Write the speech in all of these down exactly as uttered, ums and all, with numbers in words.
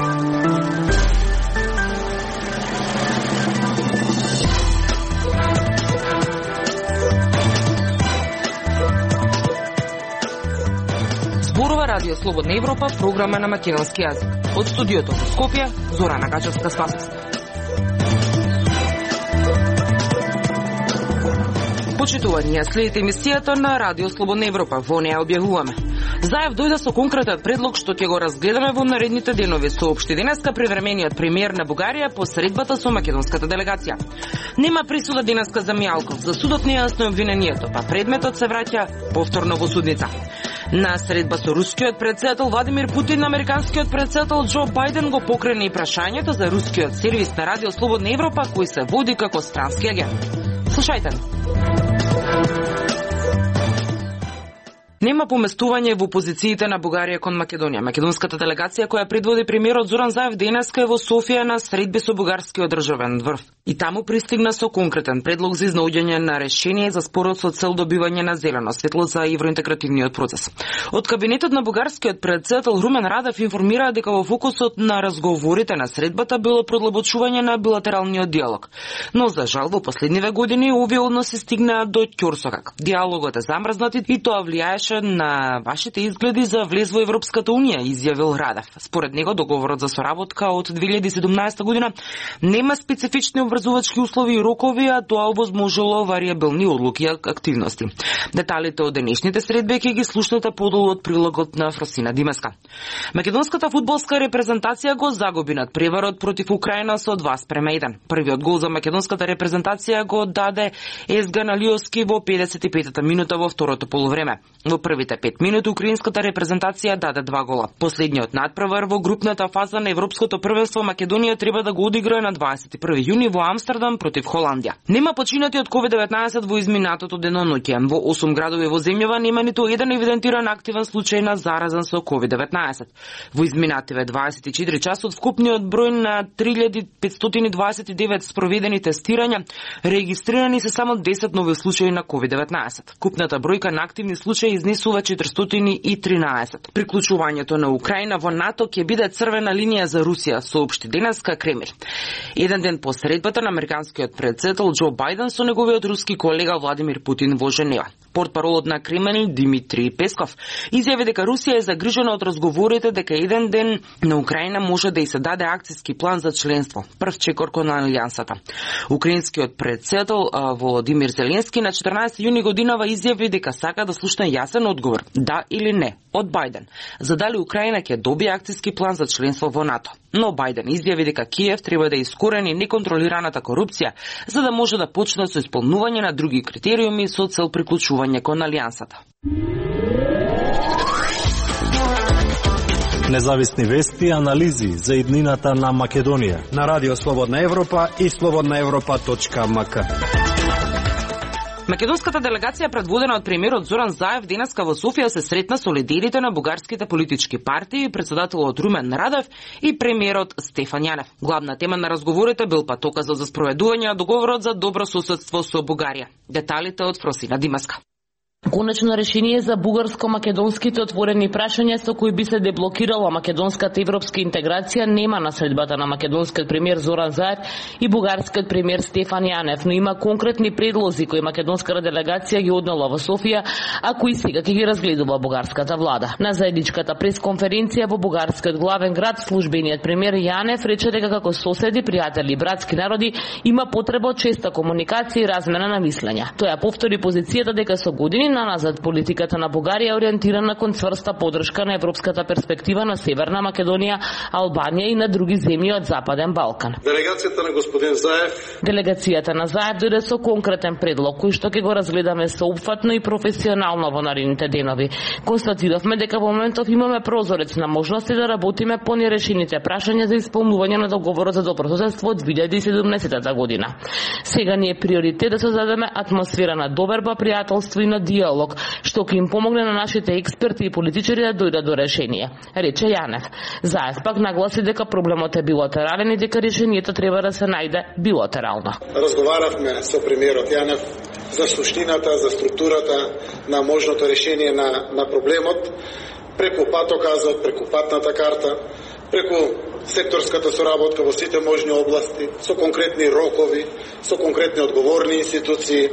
Зборува Радио Слободна Европа, програма на македонски јазик. Од студиото во Скопје, Зорана Гачевска-Спасовска. Почитувани, ја следите емисијата на Радио Слободна Европа. Во неја објавуваме. Заев дојде со конкретен предлог што ќе го разгледаме во наредните денови, соопшти денеска привремениот премиер на Бугарија по средбата со македонската делегација. Нема присуда денеска за Мијалков, за судот не е јасно обвинението, па предметот се враќа повторно во судница. На средба со рускиот претседател Владимир Путин, американскиот претседател Џо Бајден го покрена и прашањето за рускиот сервис на Радио Слободна Европа, кој се води како странски агент. Слушајте. Нема поместување во позициите на Бугарија кон Македонија. Македонската делегација која предводи премиерот Зоран Заев денеска е во Софија на средби со бугарскиот државен врв. И таму пристигна со конкретен предлог за изнаоѓање на решение за спорот со цел добивање на зелено светло за евроинтегративниот процес. Од кабинетот на бугарскиот претседател Румен Радев информираа дека во фокусот на разговорите на средбата било продлабочување на билатералниот диалог. Но за жал во последниве години овие односи стигнаа до ќорсокак. Диалогот е замрзнат и тоа влијаеше на вашите изгледи за влез во Европската унија, изјавил Радев. Според него договорот за соработка од две илјади и седумнаесета година нема специфични обврзувачки услови и рокови, а тоа овозможило варијабилни одлуки и активности. Деталите од денешните средби ќе ги слушнете подолу од прилогот на Фросина Димеска. Македонската фудбалска репрезентација го загуби над преварот против Украина со два спрема еден. Првиот гол за македонската репрезентација го даде Езган Алиовски во педесет и петата минута во второто полувреме. Во првите пет минути украинската репрезентација даде два гола. Последниот надпревар во групната фаза на Европското првенство Македонија треба да го одиграе на дваесет и први јуни во Амстердам против Холандија. Нема починати од ковид деветнаесет во изминатото деноноќе. Во осум градови во земјава нема ниту еден евидентиран активен случај на заразен со ковид деветнаесет. Во изминативе дваесет и четири часот вкупниот број на три илјади петстотини дваесет и девет спроведени тестирања, регистрирани се само десет нови случаи на ковид деветнаесет. Купната бројка на активни случаи изнесува четиристотини и тринаесет. Приклучувањето на Украина во НАТО ќе биде црвена линија за Русија, соопшти денеска Кремљ. Еден ден по средбата на американскиот претседател Џо Бајден со неговиот руски колега Владимир Путин во Женева. Портпаролот на Кремљ Димитри Песков изјави дека Русија е загрижена од разговорите дека еден ден на Украина може да и се даде акцијски план за членство, прв чекор кон алијансата. Украинскиот претседател Володимир Зеленски на четрнаесети јуни годинава изјави дека сака да слушне јасен одговор, да или не, од Бајден, за дали Украина ќе добие акцијски план за членство во НАТО. Но Бајден изјави дека Киев треба да искорени неконтролираната корупција, за да може да почне со исполнување на други критериуми со цел приклучување кон алијансата. Независни вести и анализи за иднината на Македонија на Радио Слободна Европа и слободна европа точка ем ка. Македонската делегација предводена од премиерот Зоран Заев денеска во Софија се сретна со лидерите на бугарските политички партии, председателот Румен Радев и премиерот Стефан Јанев. Главна тема на разговорите бил патоказот за спроведување на договорот за добро соседство со Бугарија. Деталите од Фросина Димеска. Конечно решение за бугарско-македонските отворени прашања со кои би се деблокирала македонската европска интеграција нема на средбата на македонскиот премиер Зоран Заев и бугарскиот премиер Стефан Јанев, но има конкретни предлози кои македонската делегација ги однела во Софија, а кои сега ќе ги разгледува бугарската влада. На заедничката пресконференција во бугарскиот главен град, службениот премиер Јанев рече дека како соседи, пријатели и братски народи има потреба од честа комуникација и размена на мислења. Тој ја повтори позицијата дека со години наназад политиката на Бугарија ориентирана кон цврста поддршка на европската перспектива на Северна Македонија, Албанија и на други земји од Западен Балкан. Делегацијата на господин Заев Делегацијата на Заев дојде со конкретен предлог кој што ќе го разгледаме соопфатно и професионално во наредните денови. Констатиравме дека во моментов имаме прозорец на можности да работиме по нерешените прашања за исполнување на договорот за добро соседство од две илјади и седумнаесета година. Сега ни е приоритет да создадеме атмосфера на доверба, пријателство и на диалог, што ќе им помогне на нашите експерти и политичари да дојдат до решение, рече Јанев. Заев пак нагласи дека проблемот е билатерален и дека решението треба да се најде билатерално. Разговаравме со премиерот Јанев за суштината, за структурата на можното решение на, на проблемот, преку патоказот, преку патната карта, преку секторската соработка во сите можни области, со конкретни рокови, со конкретни одговорни институции,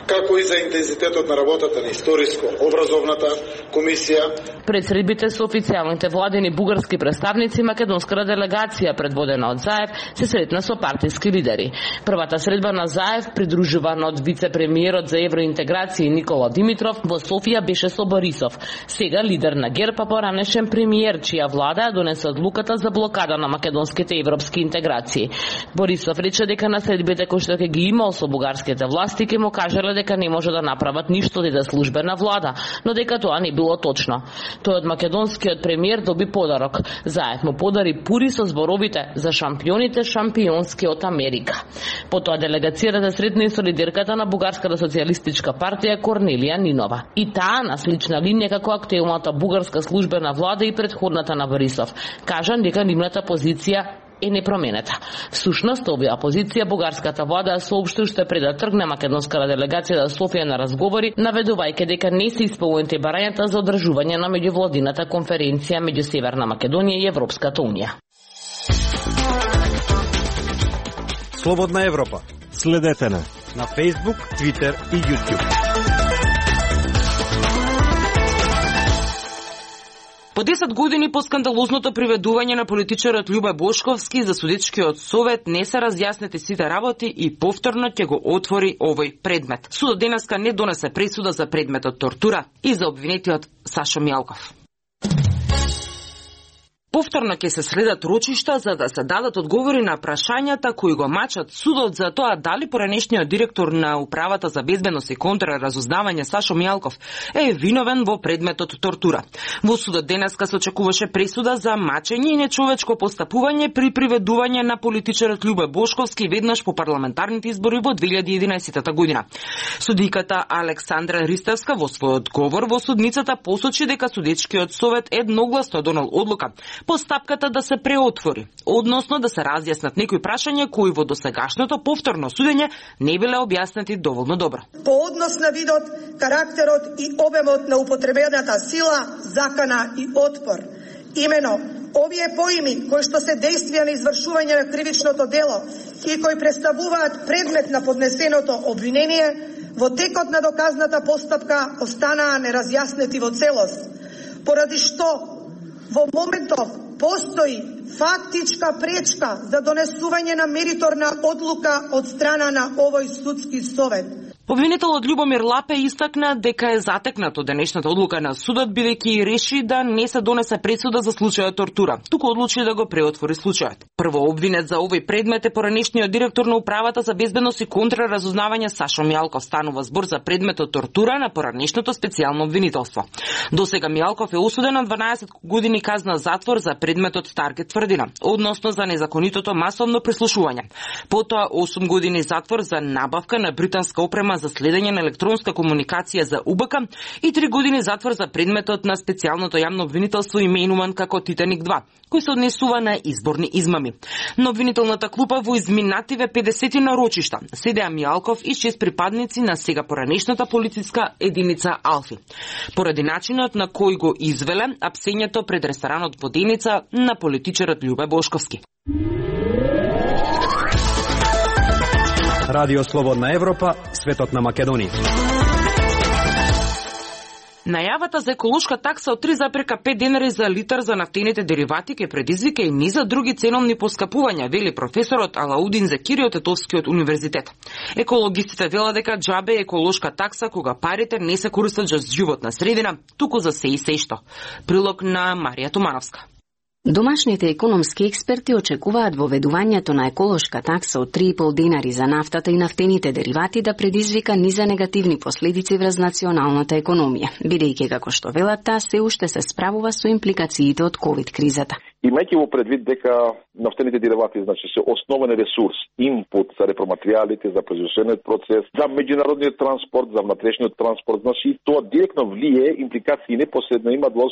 како и за интензитетот на работата на историско-образовната комисија. Пред средбите со официјалните владени бугарски представници, македонската делегација предводена од Заев се сретна со партиски лидери. Првата средба на Заев, придружуван од вице-премиерот за евроинтеграција Никола Димитров, во Софија беше со Борисов, сега лидер на ГЕРБ, а поранешен премиер, чија влада донесе одлуката за блокада на македонските европски интеграции. Борисов рече дека на средбите кои што ќе ги имал со бугарските власти ќе му кажале дека не може да направат ништо да иде службена влада, но дека тоа не било точно. Тој од македонскиот премиер доби подарок. Заев му подари пури со зборовите за шампионите шампионски од Америка. Потоа делегацијата сретна и со лидерката на Бугарската социјалистичка партија Корнелија Нинова. И таа на слична линија како актуелната бугарска службена влада и предходната на Борисов. Кажан дека нивната позиција е непроменета. Всушност, оваа позиција бугарската влада соопшти уште пред да тргне македонската делегација до Софија на разговори, наведувајќи дека не се исполнети барањата за одржување на меѓувладината конференција меѓу Северна Македонија и Европската унија. Слободна Европа. Следете на на Facebook, Twitter и YouTube. По десет години по скандалозното приведување на политичарот Љубе Бошковски за судичкиот совет не се разјаснети сите работи и повторно ќе го отвори овој предмет. Судот денеска не донесе пресуда за предметот тортура и за обвинетиот Сашо Мјалков. Повторно ќе се следат рочишта за да се дадат одговори на прашањата кои го мачат судот за тоа дали поранешниот директор на Управата за безбедност и контраразузнавање Сашо Мјалков е виновен во предметот тортура. Во судот денеска се очекуваше пресуда за мачење и нечовечко постапување при приведување на политичарот Љубе Бошковски веднаш по парламентарните избори во две илјади и единаесетта година. Судиката Александра Ристевска во својот говор во судницата посочи дека судечкиот совет едногласно донел одлука постапката да се преотвори, односно да се разјаснат некои прашања кои во досегашното повторно судење не биле објаснети доволно добро. По однос на видот, карактерот и обемот на употребената сила, закана и отпор. Имено, овие поими кои што се действија на извршување на кривичното дело и кои представуваат предмет на поднесеното обвинение, во текот на доказната постапка останаа неразјаснети во целост, поради што во моментов постои фактичка пречка за донесување на мериторна одлука од страна на овој судски совет. Обвинителот Љубомир Лапе истакна дека е затекнат од денешната одлука на судот, бидејќи реши да не се донесе пресуда за случајот тортура, туку одлучи да го преотвори случајот. Прво обвинет за овој предмет е поранешниот директор на Управата за безбедност и контраразузнавање Сашо Мјалков. Станува збор за предметот тортура на поранешното специјално обвинителство. Досега Мјалков е осуден на дванаесет години казна затвор за предметот Таргет тврдина, односно за незаконитото масовно прислушување. Потоа осум години затвор за набавка на британска опрема за следење на електронска комуникација за У Б К и три години затвор за предметот на специјалното јавно обвинителство именуван како Титаник два, кој се однесува на изборни измами. На обвинителната клупа во изминативе педесет нарочишта седеа Мјалков и шест припадници на сега поранешната полициска единица Алфи. Поради начинот на кој го извеле апсењето пред ресторанот Воденица на политичарот Љубе Бошковски. Радио Слободна Европа, светот на Македонија. Најавата за еколошка такса од три зарез пет денари за литар за нафтените деривати ќе предизвика и низа други ценовни поскапувања, вели професорот Алаудин Закири од Тетовскиот универзитет. Екологистите велат дека џабе еколошка такса кога парите не се користат за животна средина, туку за се и се што. Прилог на Марија Томановска. Домашните економски експерти очекуваат воведувањето на еколошка такса од три и пол денари за нафтата и нафтените деривати да предизвика низа негативни последици врз националната економија, бидејќи како што велат таа се уште се справува со импликациите од ковид кризата. Имајќи во предвид дека нафтените деривати значи се основен ресурс, инпут за репроматеријалите, за производствениот процес, за меѓународниот транспорт, за внатрешниот транспорт, значи тоа директно влие импликации непосредно има во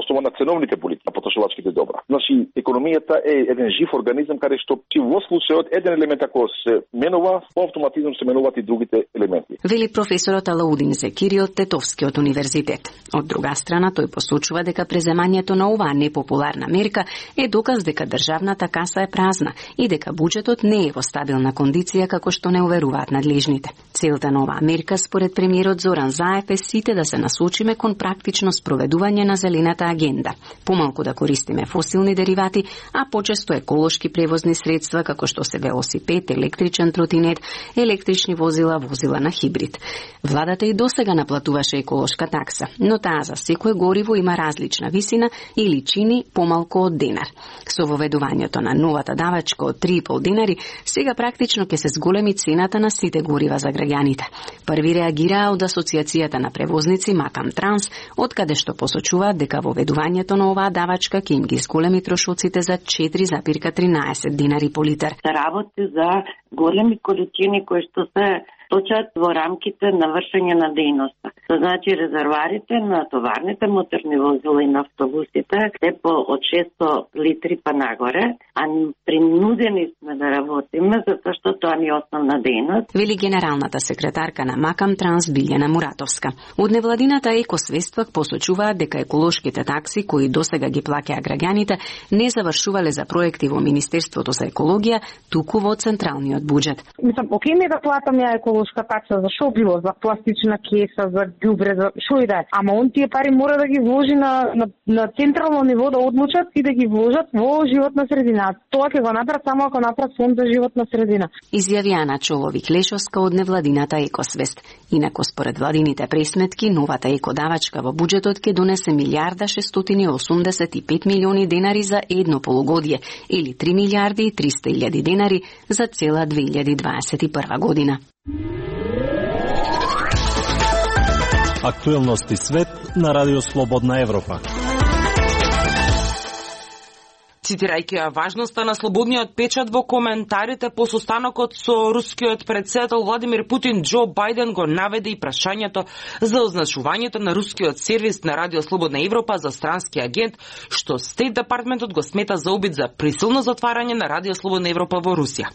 основа на ценовните политики на потрошувачките добра. Значи економијата е еден жив организам каде што во случајот еден елемент ако се менува, по автоматизм се менуваат и другите елементи. Вели професорот Алаудин Закири од Тетовскиот универзитет. Од друга страна тој посочува дека преземањето на оваа непопуларна мерка е доказ дека државната каса е празна и дека буџетот не е во стабилна кондиција како што не уверуваат надлежните. Целта на оваа мерка според премиерот Зоран Заев е сите да се насочиме кон практично спроведување на зелената агенда. Помалку да користиме фосилни деривати, а почесто еколошки превозни средства како што се велосипед, електричен тротинет, електрични возила, возила на хибрид. Владата и досега наплатуваше еколошка такса, но таа за секое гориво има различна висина или чини помалку од денар. Со воведувањето на новата давачка од три и пол денари, сега практично ќе се зголеми цената на сите горива за граѓаните. Први реагираа од Асоциацијата на превозници Макам Транс, откаде што посочуваат дека воведувањето на оваа давачка ќе им ги зголеми трошоците за четири запирка тринаесет динари по литар. Работи за големи количини кои што се точат во рамките на вршење на дејноста. Тоа значи резерварите на товарните моторни возила и на автобусите се по од шесто литри па нагоре, а принудени сме да работиме затоа што тоа ни е основна дејност. Вели генералната секретарка на Макам Транс Билјана Муратовска. Од невладината екосвест пак посочуваат дека еколошките такси кои досега ги плаќаа граѓаните не завршувале за проекти во Министерството за екологија, туку во централниот буџет. Мислам, окей ми да платам ја еколошка такса, за шо било, за пластична кеса, за ѓубре, за шо и да е. Ама он тие пари мора да ги вложи на, на, на централно ниво, да одлучат и да ги вложат во животна средина. Тоа ќе го направат само ако направат фонд за животна средина. Изјави Ана Чововик Лешовска од невладината екосвест. Инако според владините пресметки, новата екодавачка во буџетот ќе донесе милијарда шестстотини и осумдесет и пет милиони денари за едно полугодие или три милијарди и триста илјади денари за цела две илјади дваесет и прва година. Актуелности свет на Радио Слободна Европа. Цитирајќи ја важноста на слободниот печат во коментарите по состанокот со рускиот председател Владимир Путин, Џо Бајден го наведе и прашањето за означувањето на рускиот сервис на Радио Слободна Европа за странски агент, што Стейт Департментот го смета за обид за присилно затварање на Радио Слободна Европа во Русија.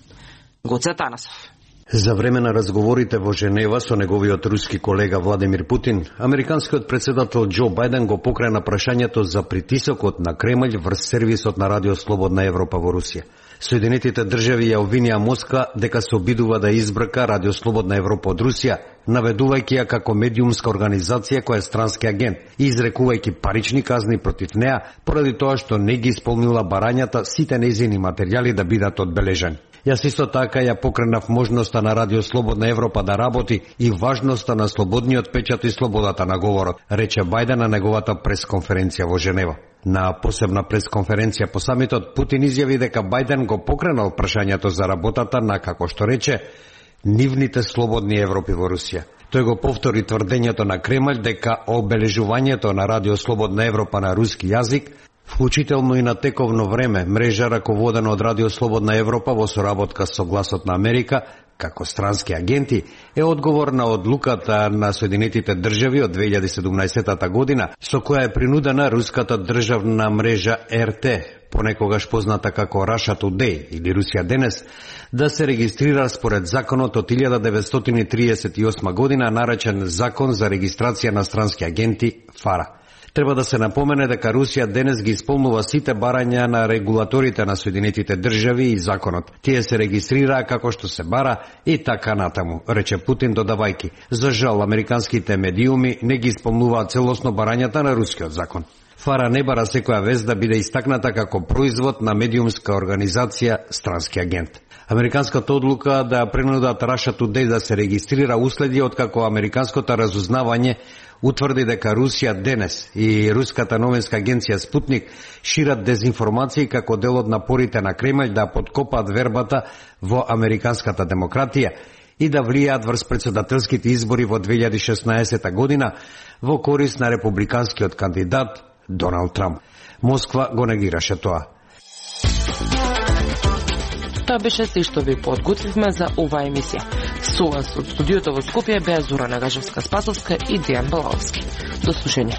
Гоце Танасов. За време на разговорите во Женева со неговиот руски колега Владимир Путин, американскиот председател Џо Бајден го покрена прашањето за притисокот на Кремљ врз сервисот на Радио Слободна Европа во Русија. Соединетите држави ја обвинија Москва дека се обидува да избрка Радио Слободна Европа од Русија, наведувајќи ја како медиумска организација која е странски агент и изрекувајќи парични казни против неа поради тоа што не ги исполнила барањата сите нејзини материјали да бидат одбележани. Јас исто така ја покренав можноста на Радио Слободна Европа да работи и важноста на слободниот печат и слободата на говорот, рече Бајден на неговата пресконференција во Женева. На посебна пресконференција по самитот, Путин изјави дека Бајден го покренал прашањето за работата на, како што рече, нивните слободни Европи во Русија. Тој го повтори тврдењето на Кремљ дека обележувањето на Радио Слободна Европа на руски јазик, вклучително и на тековно време, мрежа раководена од Радио Слободна Европа во соработка со Гласот на Америка, како странски агенти, е одговор на одлуката на Соединетите држави од две илјади и седумнаесета година, со која е принудена руската државна мрежа Ер Те, понекогаш позната како Russia Today или Русија денес, да се регистрира според законот од илјада деветстотини триесет и осма година, наречен Закон за регистрација на странски агенти ФАРА. Треба да се напомене дека Русија денес ги исполнува сите барања на регулаторите на Соединетите држави и законот. Тие се регистрираа како што се бара и така натаму, рече Путин додавајки. За жал, американските медиуми не ги исполнуваат целосно барањата на рускиот закон. ФАРА не бара секоја вест да биде истакната како производ на медиумска организација странски агент. Американската одлука да принудат Russia Today да се регистрира уследи откако американското разузнавање утврди дека Русија денес и руската новинска агенција Спутник шират дезинформации како дел од напорите на Кремљ да подкопаат вербата во американската демократија и да влијаат врз претседателските избори во две илјади и шеснаесета година во корист на републиканскиот кандидат Доналд Трамп. Москва го негираше тоа. Тоа беше се што ви подготвивме за оваа емисија. Со вас од студиото во Скопје беа Зора Нагажевска-Спасовска и Дејан Балаовски. До слушање.